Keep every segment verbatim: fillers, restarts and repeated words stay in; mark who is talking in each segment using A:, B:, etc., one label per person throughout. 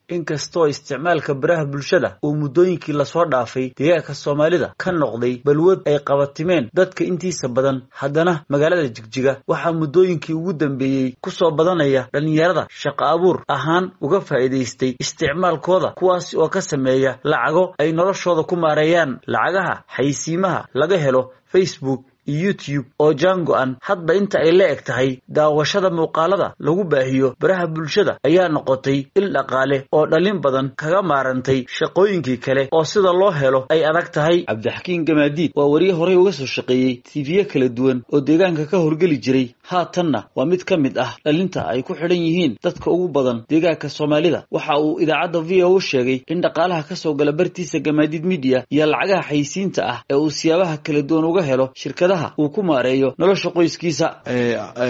A: Inkastoo isticmaalka baraha bulshada uu muddooyinkii lasoo dhaafay deegaanka Soomaalida ka noqday balwad ay qabatimeen dadka intiisa badan, haddana magaalada Jigjiga waxaa muddooyinkii ugu dambeeyey kusoo badanaya dhalinyarada shaqo abuur ahaan uga faa'iidaystay isticmaalkooda, kuwaasi oo ka sameeya lacago ay noloshooda ku maareeyaan. Lacagaha xayeysiimaha laga helo Facebook iyo YouTube oo jaan go'an hadba inta ay la eg tahay daawashada muuqaalada lagu baahiyo baraha bulshada ayaa noqotay il dhaqaale oo dhalin badan kaga maarantay shaqooyinkii kale oo sida loo helo ay adag tahay. Cabdixakiin Gamaadiid waa wariye horey uga soo shaqeeyey T V kala duwan oo deegaanka ka horgeli jiray, haatanna waa mid ka mid ah dhalinta ay ku xidhan yihiin dadka ugu badan deegaanka Soomaalida. Waxa uu idaacadda V O u sheegay in dhaqaalaha kasoo gala bartiisa Gamaadiid Media iyo lacagaha xayeysiinta ah ee uu siyaabaha kala duwan uga helo shirkadaha uu ku maareeyo nolosha qoyskiisa.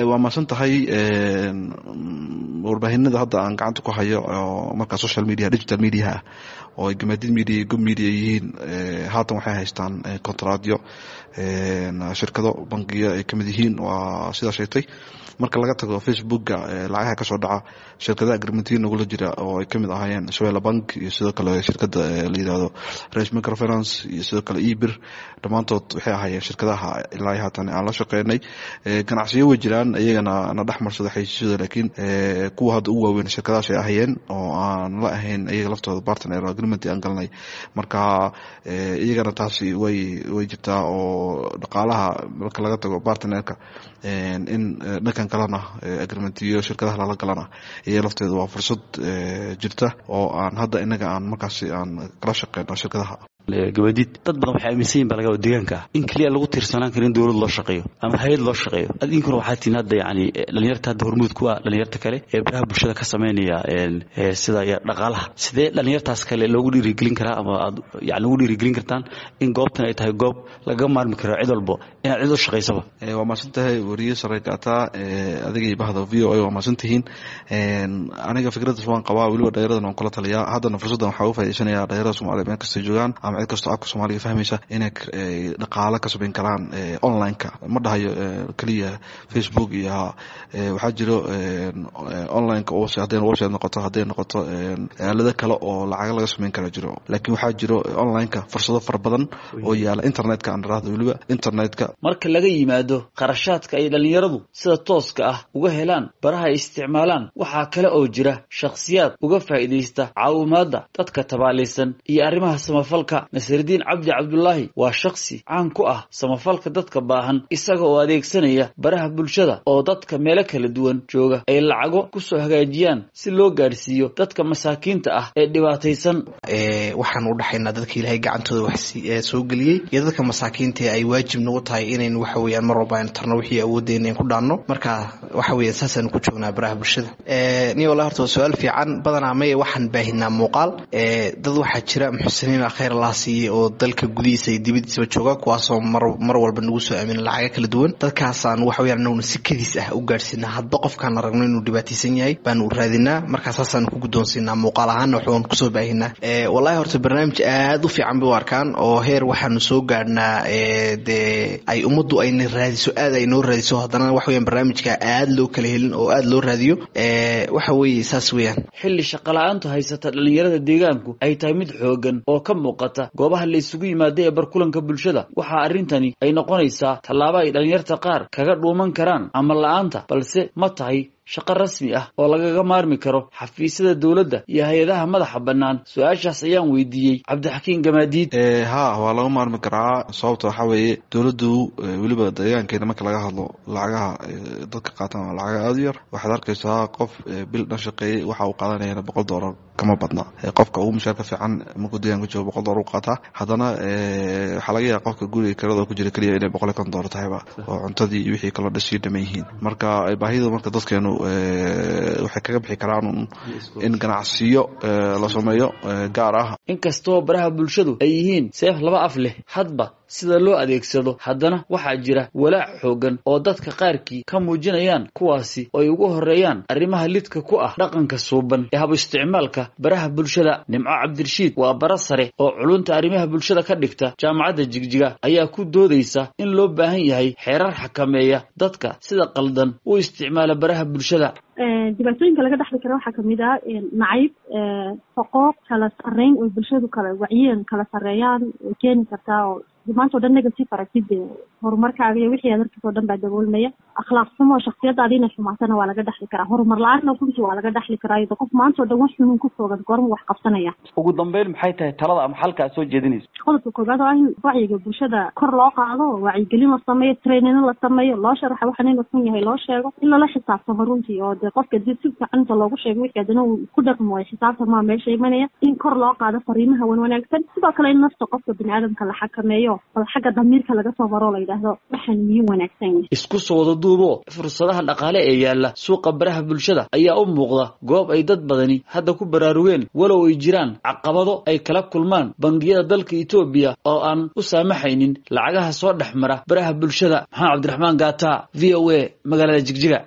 B: Waa mahadsan tahay. Warbaahinada hadda aan gacanta ku hayo oo markaa social media, digital media ah, oo ay Gamaadiid Media iyo Gob Media yihiin, haatan waxay haystaan kontraadyo shirkado bangiyo ay kamid yihiin. Waa sidaa sheegtay, marka laga tago Facebooka lacagaha kasoo dhaca, shirkadaha agreementiyo nagula jira oo ay kamid ahaayeen Shabeelle Bank iyo sidoo kale shirkada la yirahdo Rays Microfinance iyo sidoo kale eBir, dhammaantood waxay ahaayeen shirkadaha ilaa haatan aan la shaqeynay. Ganacsiyo way jiraan iyagana na dhex marsada xayeysiisyada, laakiin kuwa hadda ugu waaweyn shirkadahaas ay ahayeen oo aan la ahayn iyaga laftooda partner agreement aan galnay. Marka iyagana taasi way way jirtaa oo dhaqaalaha marka laga tago partnerka, in dhankan kalena agreementiyo shirkadaha lala galana iyaga lafteeda waa fursad jirta oo aan hadda inaga aan markaasi aan kala shaqeyno shirkadaha.
A: Gabadiid, dad badan waxay aaminsan yihin baa laga deegaanka ah in keliya lagu tiirsanaan karin dowlad loo shaqeeyo ama hay'ad loo shaqeeyo. Adinkuna waxaa tihiin hadda yani dhalinyarta hadda hormuud ku ah dhalinyarta kale ee baraha bulshada ka sameynaya sida dhaqaalaha. Sidee dhalinyartaas kale loogu dhiirigelin karaa ama aad yani ugu dhiirigelin kartaan in goobtan ay tahay goob lagaga maarmi karo cid walbo inaad cid u shaqaysaba?
B: Waa mahadsan tahay, wariye sare gaataa, adiga iyo bahda V O A waa mahadsan tihiin. Aniga fikraddaas waan qabaa, weliba dhalinyaradan waan kula taliyaa. Haddana fursaddan waxaa uga faa'iidaysanaya dhalinyarada Soomaaliya meel kastay joogaan ama cid kastoo afka Soomaaliga fahmaysa inay dhaqaalo ka samayn karaan online-ka. Ma dhahayo keliya Facebook iyo waxaa jiro online-ka, hadday website noqoto, hadday noqoto aalado kale oo lacaga laga samayn kara jiro, laakiin waxaa jiro online-ka fursado fara badan oo yaala internetka, aan raahdo weliba internetka.
A: Marka laga yimaado kharashaadka ay dhalinyaradu sida tooska ah uga helaan baraha ay isticmaalaan, waxaa kale oo jira shakhsiyaad uga faa'iidaysta caawimaadda dadka tabaalaysan iyo arrimaha samafalka. Nasridiin Cabdi Cabdulaahi waa shakhsi caan ku ah samafalka dadka baahan, isaga oo adeegsanaya baraha bulshada oo dadka meelo kala duwan jooga ay lacago kusoo hagaajiyaan si loo gaadhsiiyo dadka masaakiinta ah ee dhibaataysan.
C: Waxaan u dhaxaynaa dadka Ilaahay gacantooda wax soo geliyey iyo dadka masaakiinta ay waajib nagu tahay inaynu waxa weeyaan mar walba aynu tarno wixii awooddeena ku dhaanno. Marka waxa weeyaan saasaynu ku joognaa baraha bulshada. Ni wallahi horta waa su-aal fiican. Badanaa maya, waxaan baahinaa muuqaal. Dad waxaa jira muxsiniin, khayr Allah siiyey, oo dalka gudihiisa iyo dibadiisaba jooga, kuwaasoo mar mar walba nagu soo aamina lacaga kala duwan. Dadkaasaan waxa weyaan anaguna si kadiis ah u gaadhsiinaa. Hadba qofkaan aragno inuu dhibaataysan yahay baanu raadinaa, markaa saasaanu ku guddoonsiinaa, muuqaal ahaana waxbaan kusoo baahinaa. Wallahi horta barnaamij aad u fiican bay u arkaan oo heer waxaanu soo gaadhnaa dee ay ummaddu ayna raadiso, aad ay noo raadiso. Haddana waxa weyaan barnaamijka aad loo kala helin oo aad loo raadiyo. Waxa weeye saas weeyaan.
A: Xilli shaqala-aantu haysata dhalinyarada deegaanku ay tahay mid xoogan oo ka muuqata goobaha la isugu yimaada ee barkulanka bulshada, waxaa arrintani ay noqonaysaa tallaabo ay dhalinyarta qaar kaga dhuuman karaan camal la-aanta. Balse ma tahay shaqo rasmi ah oo lagaga maarmi karo xafiisyada dowladda iyo hay'adaha madaxa bannaan? Su-aashaas ayaan weydiiyey Cabdixakiin Gamaadiid.
B: Ha, waa laga maarmi karaa. Sababta waxaa weeye dowladdu, weliba deegaankeena marka laga hadlo, lacagaha dadka qaatan waa lacaga aada u yar. Waxaad arkaysaa qof bil dhan shaqeeyey, waxa uu qaadanayana boqol dollar kama badna. Qofka ugu mushaarka fiican markuu deegaanka joogo boqol dollar u qaataa. Haddana waxaa laga yaaba qofka guriga kirada ku jira keliya inay boqol iyo konton dollar tahayba oo cuntadii iyo wixii kaloo dhasii dhaman yihiin. Marka baahida marka dadkeenu waxay kaga bixi karaan in ganacsiyo la sameeyo gaar ah.
A: Inkastoo baraha bulshadu ay yihiin seef laba af leh hadba sida loo adeegsado, haddana waxaa jira walaac xoogan oo dadka qaarkii ka muujinayaan, kuwaasi oo ay ugu horeeyaan arrimaha lidka ku ah dhaqanka suuban ee habu isticmaalka baraha bulshada. Nimco Cabdirashiid waa bara sare oo culunta arrimaha bulshada ka dhigta Jaamacadda Jigjiga, ayaa ku doodaysa in loo baahan yahay xeerar xakameeya dadka sida qaldan u isticmaala baraha bulshada.
D: Dhibaatooyinka laga dhexli kara waxaa kamid ah nacayb, foqooq, kala sarreyn oo bulshadu kala wacyiyan kala sarreeyaan way keeni kartaa, oo maanta o dhan negative aragtid horumarkaaga iyo wixii aad arkis oo dhan baa daboolmaya. Akhlaaq xumo, shaksiyadaada inay xumaatana waa laga dhexli karaa. Horumar la-aanna runtii waa laga dhexli karaa, iyadoo qof maanta o dhan wax xunuun ku foogan goorma wax qabsanaya.
A: Ugu dambeyn, maxay tahay talada ama xalka aad soo jeedinayso?
D: Qodobka koowaad oo ah in wacyiga bulshada kor loo qaado, wacyigelin la sameeyo, trainino la sameeyo, loo sharaxa waxan inuu xun yahay, loo sheego, in lala xisaabtamo runtii, oo dee qofka dib si fiican inta loogu sheego wixii haddana uu ku dhaqmo waayo xisaabtamaa meesha imanaya, in kor loo qaado fariimaha wan wanaagsan. Sidoo kale in nafta qofka biniaadamka la xakameeyo, bal xagga damiirka laga soo maro, la yidhaahdo waxaan miyuu wanaagsan yahay.
A: Isku soo wada duubo, fursadaha dhaqaale ee yaalla suuqa baraha bulshada ayaa u muuqda goob ay dad badani hadda ku baraarugeen, walow ay jiraan caqabado ay kala kulmaan bangiyada dalka Itoobiya oo aan u saamaxaynin lacagaha soo dhex mara baraha bulshada. Maxamed Cabdiraxmaan Gaata, V O A, magaalada Jigjiga.